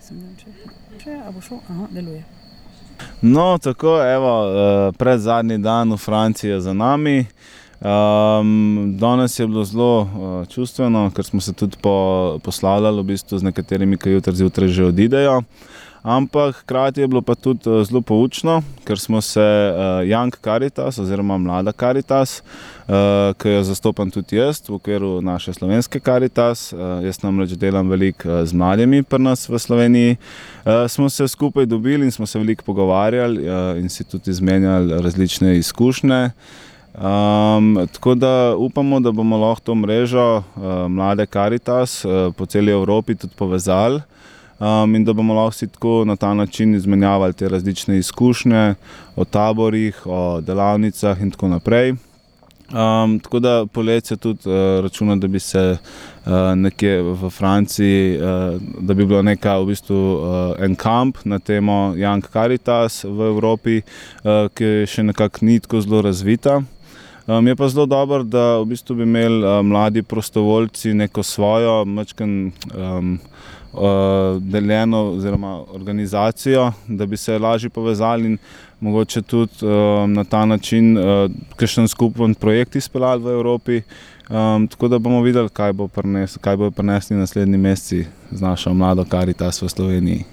Mislim, ne vem, če a bo šel? Aha, deluje. No, tako, evo, predzadnji dan v Franciji je za nami. Danes je bilo zelo čustveno, ker smo se tudi poslavljali v bistvu z nekaterimi, ki jutri zjutraj že odidejo. Ampak hkrati je bilo pa tudi zelo poučno, ker smo se Young Caritas oziroma Mlada Caritas, ki jo zastopam tudi jaz v okviru naše slovenske Caritas, jaz namreč delam veliko z mladimi pri nas v Sloveniji, smo se skupaj dobili in smo se veliko pogovarjali in si tudi izmenjali različne izkušnje. Tako da upamo, da bomo lahko to mrežo Mlade Caritas po celi Evropi tudi povezali. In da bomo lahko si tako na ta način izmenjavali te različne izkušnje o taborih, o delavnicah in tako naprej. Tako da poletje tudi računam, da bi se nekje v Franciji, da bi bilo v bistvu en kamp na temo Young Caritas v Evropi, ki še nekako ni tako zelo razvita. Je pa zelo dobro, da v bistvu bi imeli mladi prostovoljci neko svojo majčkeno deljeno oziroma organizacijo, da bi se lažje povezali in mogoče tudi na ta način kakšen skupen projekt izpeljali v Evropi. Tako da bomo videli, kaj bodo prinesli naslednji meseci z našo Mlado Caritas v Sloveniji.